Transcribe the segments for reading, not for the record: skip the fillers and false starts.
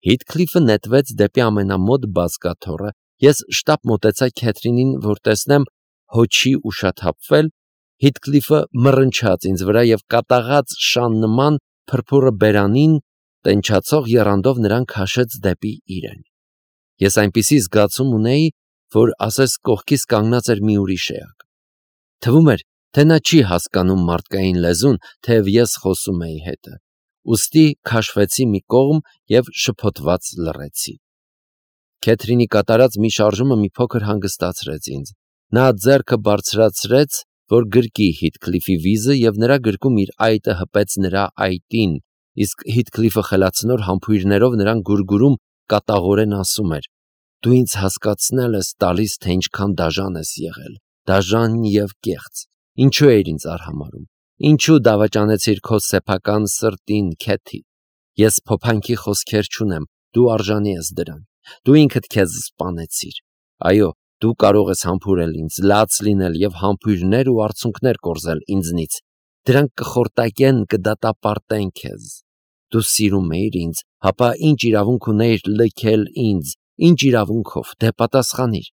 Հիթքլիֆը նետվեց դեպի ամենամոտ բազկաթոռը, ես շտապ մոտեցա Քեթրինին, որ տեսնեմ հոչի ուշաթափվել, Հիթքլիֆը մռնչաց ինձ վրա և կատաղած շան նման փրփուրը բերանին տենչացող եռանդով նրան քաշեց դեպի իրեն։ Ես այնպիսի զգացում ունեի, որ ասես կողքիս կանգնած էր մի ուրիշ էակ։ Թվում էր, թե նա չի հասկանում մարդկային լեզուն, թեև ես խոսում էի հետը։ Ուստի քաշվեցի մի կողմ և շփոթված լռեցի։ Քեթրինի կատարած մի շարժումը մի փոքր հանգստացրեց ինձ։ Նա ձեռքը բարձրացրեց, որ գրկի Հիթքլիֆի վիզը, և նրա գրկում իր այտը հպեց նրա այտին, իսկ Հիթքլիֆը խելացնոր համբույրներով նրան գուրգուրում կատաղորեն ասում էր. «Դու ինձ հասկացնել ես տալիս, թե ինչքան դաժան ես եղել, դաժան և կեղծ։ Ինչու էիր ինձ արհամարհում։ Ինչու դավաճանեցիր քո սեփական սրտին, Քեթի։ Ես փոփանքի խոսքեր չունեմ, դու արժանի ես դրան։ Դու ինքդ քեզ սպանեցիր։ Այո, դու կարող ես համբուրել ինձ, լաց լինել և համբույրներ ու արցունքներ կորզել ինձնից։ Դրանք կխորտակեն, կդատապարտեն քեզ։ Դու սիրում էիր ինձ, հապա ինչ իրավունք ունեիր լքել ինձ, ինչ իրավունքով, դե պատասխանիր։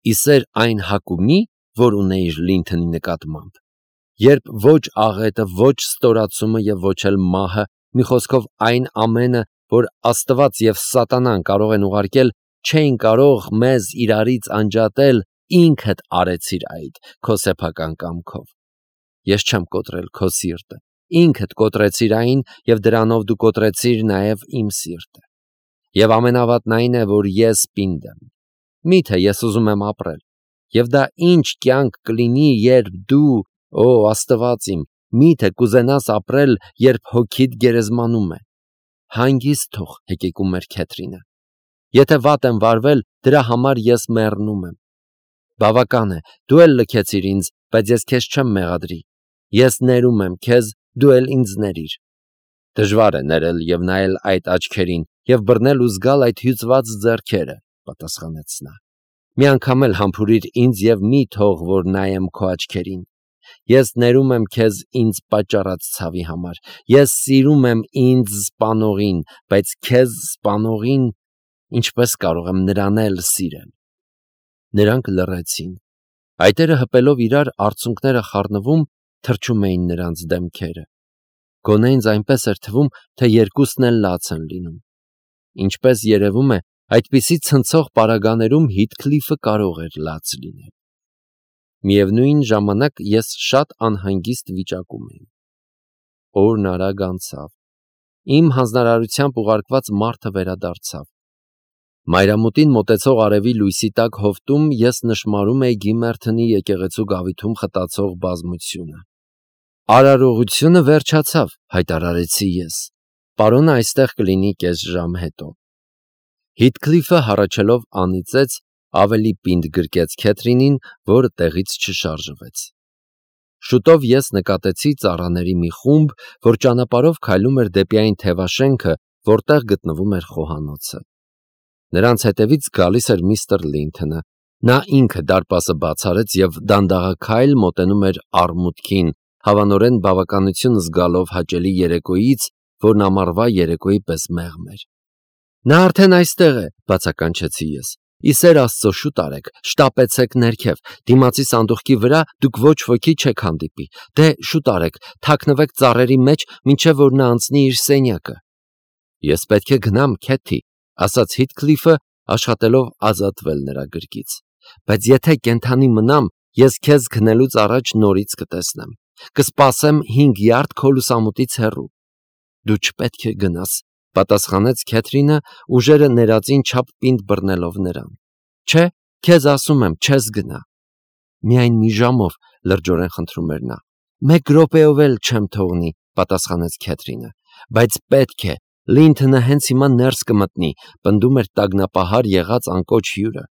Իսեր այն հակումի, որ ունեիր Լինթոնի նկատմամբ։ Երբ ոչ աղետը, ոչ ստորացումը և ոչ էլ մահը, մի խոսքով այն ամենը, որ Աստված և Սատանան կարող են ուղարկել, չէին կարող մեզ իրարից անջատել, ինքդ արեցիր այդ քո սեփական կամքով։ Ես չեմ կոտրել քո սիրտը, ինքդ կոտրեցիր այն և դրանով դու կոտրեցիր նաև իմ սիրտը։ Եվ ամենավատն այն է, որ ես պինդ եմ։ Միթե ես ուզում եմ ապրել։ Եվ դա ինչ կյանք կլինի, երբ դու, օ Աստված իմ, միթե կուզենաս ապրել, երբ հոգիդ գերեզմանում է։ Հանգիստ թող, հեկեկում էր Քեթրինը։ Եթե վատ եմ վարվել, դրա համար ես մեռնում եմ։ Բավական է, դու էլ լքեցիր ինձ, բայց ես քեզ չեմ մեղադրի։ Ես ներում եմ քեզ, դու էլ ինձ ներիր։ Դժվար է ներել և նայել այդ աչքերին և բռնել ու զգալ այդ հյուծված ձեռքերը, պատասխանեց նա։ Մի անգամ էլ համբուրիր ինձ և մի թող, որ նայեմ քո աչքերին։ Ես ներում եմ քեզ ինձ պատճառած ցավի համար։ Ես սիրում եմ ինձ սպանողին, բայց քեզ սպանողին ինչպես կարող եմ նրան էլ սիրել։ Նրանք լռեցին։ Այտերը հպելով իրար, արցունքները խառնվում, թրջում էին նրանց դեմքերը։ Գոնե ինձ այնպես էր թվում, թե երկուսն էլ լաց են լինում։ Ինչպես երևում է, այդպիսի ցնցող պարագաներում Հիթքլիֆը կարող էր լաց լինել։ Միևնույն ժամանակ ես շատ անհանգիստ վիճակում էի։ Օրն արագ անցավ։ Իմ հանձնարարությամբ ուղարկված մարդը վերադարձավ։ Մայրամուտին մոտեցող արևի լույսի տակ հովտում ես նշմարում էի Գիմերթոնի եկեղեցու գավիթում խտացող բազմությունը։ Արարողությունը վերջացավ, հայտարարեցի ես։ Պարոնը այստեղ կլինի կես ժամ հետո։ Հիթքլիֆը հառաչելով անիծեց, ավելի պինդ գրկեց Քեթրինին, որը տեղից չշարժվեց։ Շուտով ես նկատեցի ծառաների մի խումբ, որ ճանապարհով քայլում էր դեպի այն թևաշենքը, որտեղ գտնվում էր խոհանոցը։ Նրանց հետևից գալիս էր միստր Լինթոնը։ Նա ինքը դարպասը բաց արեց և դանդաղաքայլ մոտենում էր առմուտքին, հավանորեն բավականություն զգալով հաճելի երեկոյից, որն ամառվա երեկոյի պես մեղմ էր։ Նա արդեն այստեղ է, բացականչեցի ես։ Իսեր Աստծո, շուտ արեք, շտապեցեք ներքև, դիմացի սանդուղքի վրա դուք ոչ ոքի չեք հանդիպի։ Դե շուտ արեք, թաքնվեք ծառերի մեջ, մինչև որ նա անցնի իր սենյակը։ Ես պետք է գնամ, Քեթի, ասաց Հիթքլիֆը, աշխատելով ազատվել նրա գրկից։ Բայց եթե կենդանի մնամ, ես քեզ քնելուց առաջ նորից կտեսնեմ։ Կսպասեմ 5 յարդ քո լուսամուտից հեռու։ Դու չպետք է գնաս, պատասխանեց Քեթրինը, ուժերը ներածին չափ պինդ բռնելով նրան։ Չէ, քեզ ասում եմ, չես գնա։ Միայն մի ժամով, լրջորեն խնդրում էր նա։ 1 րոպեով էլ չեմ թողնի, պատասխանեց Քեթրինը։ Բայց պետք է, Լինթոնը հենց հիմա ներս կմտնի, պնդում էր տագնապահար եղած անկոչ հյուրը։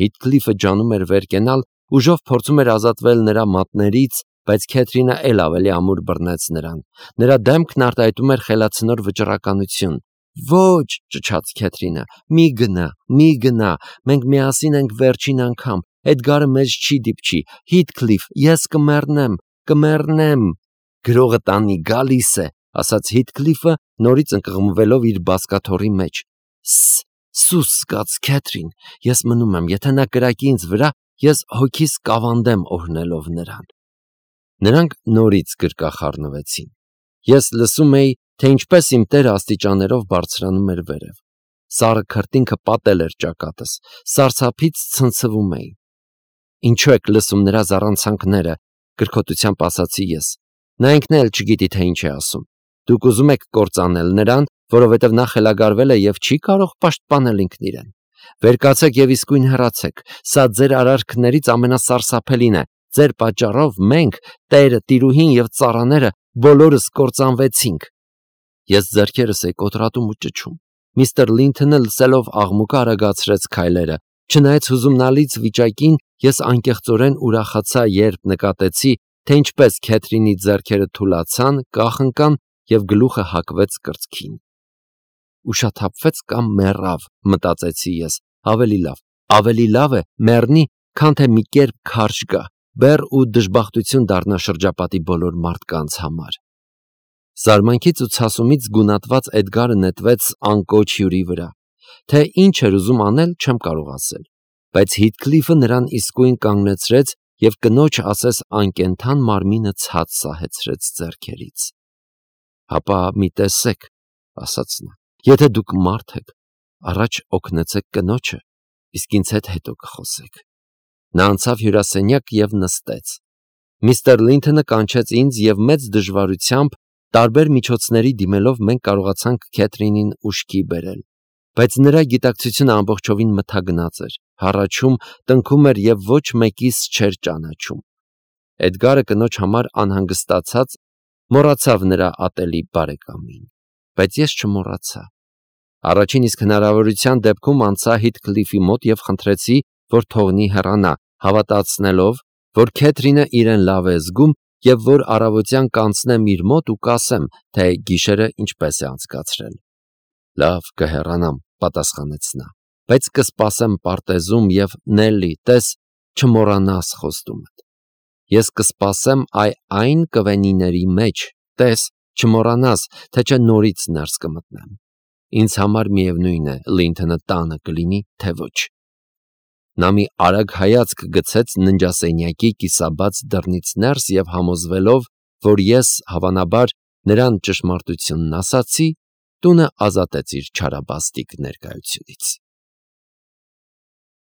Հիթքլիֆը ջանում էր վեր կենալ, ուժով փորձում էր ազատվել նրա մատներից, բայց Քեթրինը էլ ավելի ամուր բռնեց նրան։ Նրա դեմքն արտահայտում էր խելացնոր վճռականություն։ Ոչ, ճչաց Քեթրինը, մի գնա, մենք միասին ենք վերջին անգամ, Էդգարը մեզ չի դիպչի, Հիթքլիֆ, ես կմեռնեմ, գրողը տանի գալիս է, ասաց Հիթքլիֆը, նորից ընկղմվելով իր բազկաթոռի մեջ։ Սուս սկաց Քեթրին, ես մնում եմ, եթե նա կրակի ինձ վրա, ես հոգիս կավանդեմ օրհնելով նրան։ Նրանք նորից գրկախառնվեցին։ Ես լսում էի, թե ինչպես իմ տերը աստիճաններով բարձրանում էր վերև։ Սառը քրտինքը պատել էր ճակատս, սարսափից ցնցվում էի։ Ինչու եք լսում նրա զառանցանքները, կրկոտությամբ ասացի ես։ Նա ինքն էլ չգիտի, թե ինչ է ասում։ Դուք ուզում եք կործանել նրան, որովհետև նա խելագարվել է եւ չի կարող պաշտպանել ինքն իրեն։ Վեր կացեք եւ իսկույն հեռացեք։ Սա ձեր արարքներից ամենասարսափելին է։ Ձեր պատճառով մենք, տերը, տիրուհին եւ ծառաները բոլորս կործանվեցինք։ Ես ձեռքերս էի կոտրատում ու ճչում։ Միստր Լինթոնը լսելով աղմուկը արագացրեց քայլերը։ Չնայած հուզումնալից վիճակին, ես անկեղծորեն ուրախացա, երբ նկատեցի, թե ինչպես Քեթրինի ձեռքերը թուլացան, կախնկան եւ գլուխը հակվեց կրծքին։ Ուշաթափվեց կամ մեռավ, մտածեցի ես, ավելի լավ է մեռնի, քան թե մի կերպ քարշ գա, բեռ ու դժբախտություն դառնա շրջապատի բոլոր մարդկանց համար։ Զարմանքից ու ցասումից գունատված Էդգարը նետվեց անկոչ հյուրի վրա, թե ինչ էր ուզում անել, չեմ կարող ասել, բայց Հիթքլիֆը նրան իսկույն կանգնեցրեց եւ կնոջ ասես անկենդան մարմինը ցած սահեցրեց ձեռքերից։ Հապա մի տեսեք, ասաց նա, եթե դուք մարդ եք, առաջ օգնեցեք կնոջը, իսկ ինձ հետ հետո կխոսեք։ Նա անցավ հյուրասենյակ եւ նստեց։ Միստր Լինթոնը կանչեց ինձ եւ մեծ դժվարությամբ տարբեր միջոցների դիմելով մենք կարողացանք Քեթրինին ուշքի բերել, բայց նրա գիտակցությունը ամբողջովին մթագնած էր, հառաչում, տնքում էր եւ ոչ մեկիս չէր ճանաչում։ Էդգարը կնոջ համար անհանգստացած մոռացավ նրա ատելի բարեկամին, բայց ես չմոռացա։ Առաջին իսկ հնարավորության դեպքում անցա Հիթքլիֆի մոտ եւ խնդրեցի, որ թողնի հեռանա, հավատացնելով, որ Քեթրինը իրեն լավ է զգում եւ որ առավոտյան կանցնեմ իր մոտ ու կասեմ, թե գիշերը ինչպես է անցկացրել։ Լավ, կհեռանամ, պատասխանեց նա, բայց կսպասեմ պարտեզում եւ Նելլի, տես, չմոռանաս խոստումդ։ Ես կսպասեմ այն կվենիների մեջ, տես, չմոռանաս, թե չէ նորից ներս կմտնեմ։ Ինձ համար միևնույն է, Լինթոնը տանը կլինի, թե ոչ։ Նա մի արագ հայացք գցեց ննջասենյակի կիսաբաց դռնից ներս եւ համոզվելով, որ ես հավանաբար նրան ճշմարտությունն ասացի, տունը ազատեց իր չարաբաստիկ ներկայությունից։